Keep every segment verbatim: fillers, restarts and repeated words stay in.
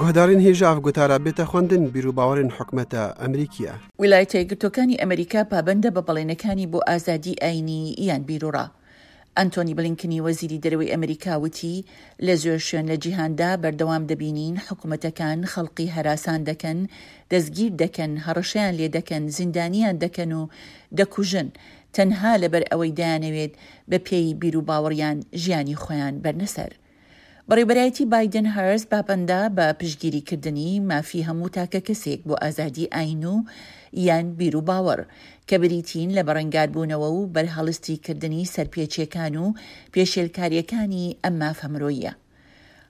گوهدارین هێژا ئەف گوتارا بێتە خوەندن بیر و باوەڕێن حکومەتە ئەمریکیە. ویلایەتە یەکگرتووەکانی ئەمریکا پابەندە بە بەڵێنەکانی بۆ ئازادی ئاینی یان بیروڕا. ئەنتۆنی بلینکنی وەزیری دەرەوەی ئەمریکا وتی لە زۆر شوێن لە جیهاندا بەردەوام دەبینین حکومەتەکان خەڵقی هەراسان دەکەن، دەستگیر دەکەن، هەڕەشەیان لێدەکەن، زیندانیان دەکەن و دەکوژن تەنها لەبەر ئەوەی دەیانەوێت بە پێی بیروباوەڕیان ژیانی خۆیان بەرنە سەر. بەڕێوبەرایەتی بایدن هارس پابەندە بە پشتگیریکردنی مافی هەموو تاکەکەسێک بۆ ئازادی ئاین و یان بیروباوەڕ، کە بریتین لە بەرەنگاربوونەوە و بەرهەڵستیکردنی سەرپێچیەکان و پێشێلکاریەکانی ئەم مافە مرۆییە.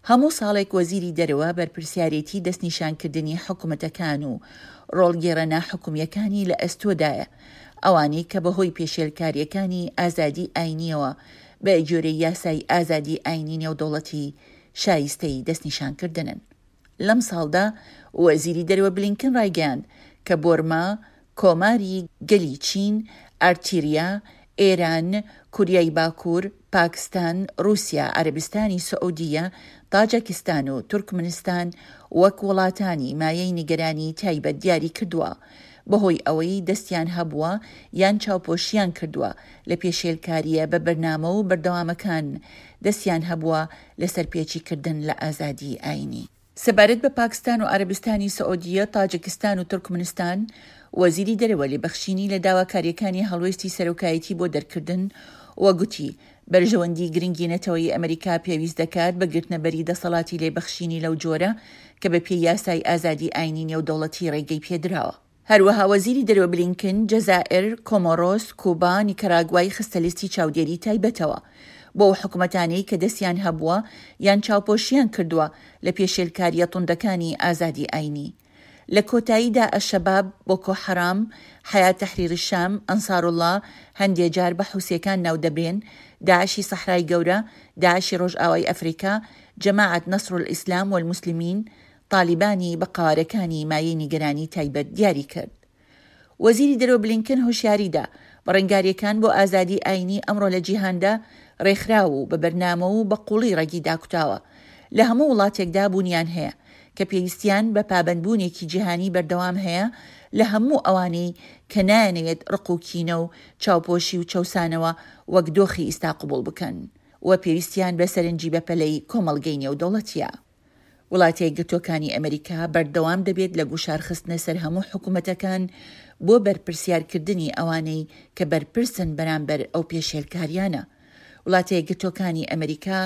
هەموو ساڵێک وەزیری دەرەوە بەرپرسیارێتی دەستنیشانکردنی حکومەتەکان و ڕۆڵگێڕە ناحکومیەکانی لە ئەستۆدایە، ئەوانەی کە بەهۆی پێشێلکاریەکانی ئازادی ئاینیەوە بە گوێرەی یاسای ئازادی ئاینی نێودەوڵەتی شایستەی دەستنیشانکردنن. لەم ساڵدا وەزیری دەرەوە بلینکن ڕایگەیاند کە بۆرما، کۆماری گەلی چین، ئارتیریا، ئێران، کوریای باکوور، پاکستان، ڕووسیا، عەرەبستانی سعودیە، تاجەکستان و تورکمنستان وەک وڵاتانی مایەی نیگەرانی تایبەت دیاری کردووە بەهۆی ئەوەی دەستیان هەبووە یان چاوپۆشیان کردووە لە پێشێلکارییە بە بەرنامە و بەردەوامەکان دەستیان هەبووە لە سەرپێچیکردن لە ئازادی ئاینی. سەبارەت بە پاکستان و عەرەبستانی سعودیە، تاجکستان و تورکمنستان، وەزیری دەرەوە لێبەخشینی لە داواکارییەکانی هەڵوێستی سەرۆکایەتی بۆ دەرکردن و گوتی بەرژەوەندی گرنگی نەتەوەیی ئەمریکا پێویست دەکات بە گرتنەبەری دەسەڵاتی لێبەخشینی لەو جۆرە کە بە پێی یاسای ئازادی ئاینی نێودەوڵەتی ڕێگەی پێدراوە. هەروەها وەزیری دەرەوە بلینکن، جەزائیر، کۆمۆرۆس، کوبا، نیکەراگوای خستە لیستی چاودێری تایبەتەوە بۆ ئەو حکومەتانەی کە دەستیان هەبووە یان چاوپۆشیان کردووە لە پێشێلکارییە توندەکانی ئازادی ئاینی. لە کۆتاییدا ئەلشەباب، بۆکۆ حەرام، حەیات تەحریر شام، ئەنساروڵڵا، هەندێ جار بە حوسییەکان ناودەبرێن، داعشی سەحرای گەورە، داعشی ڕۆژئاوای ئەفریکا، جەماعەت نەسرولئیسلام وەلموسلمین، تالیبانی بە قەوارەکانی مایەی نیگەرانی تایبەت دیاری کرد. وەزیری دەرەوە بلینکن هۆشیاری دا، بەڕەنگارییەکان بۆ ئازادی ئاینی ئەمڕۆ لە جیهاندا ڕێکخراو و بە بەرنامە و بە قووڵی ڕەگی داکوتاوە لە هەموو وڵاتێکدا بوونیان هەیە کە پێویستیان بە پابەندبوونێکی جیهانی بەردەوام هەیە لە هەموو ئەوانەی کە نایانەوێت ڕق و کینە و چاوپۆشی و چەوسانەوە وەک دۆخی ئیستا قبوڵ بکەن و پێویستیان بە سەرنجی بەپەلەی کۆمەڵگەی نێودەوڵەتییە. وڵاتە یەکگرتووەکانی ئەمریکا بەردەوام دەبێت لە گوشارخستنە سەر هەموو حکومەتەکان بۆ بەرپرسیارکردنی ئەوانەی کە بەرپرسن بەرامبەر ئەو پێشێلکاریانە. وڵاتە یەکگرتووەکانی ئەمریکا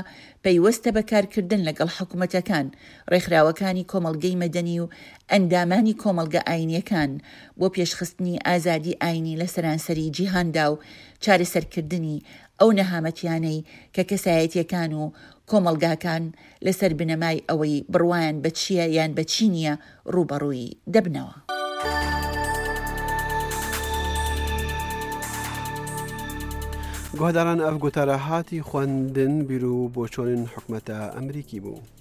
پەیوەستە بە کارکردن لەگەڵ حکومەتەکان، ڕێکخراوەکانی کۆمەڵگەی مەدەنی و ئەندامانی کۆمەڵگە ئاینییەکان بۆ پێشخستنی ئازادی ئاینی لە سەرانسەری جیهاندا و چارەسەرکردنی ئەو نەهامەتیانەی کە کەسایەتییەکان و کۆمەڵگاکان لەسەر بنەمای ئەوەی بڕوایان بە چییە یان بە چی نییە ڕووبەڕووی دەبنەوە. گوهداران ئەف گوتارە هاتی خوەندن بیر و بۆچۆنن حکومەتە ئەمریکی بوو.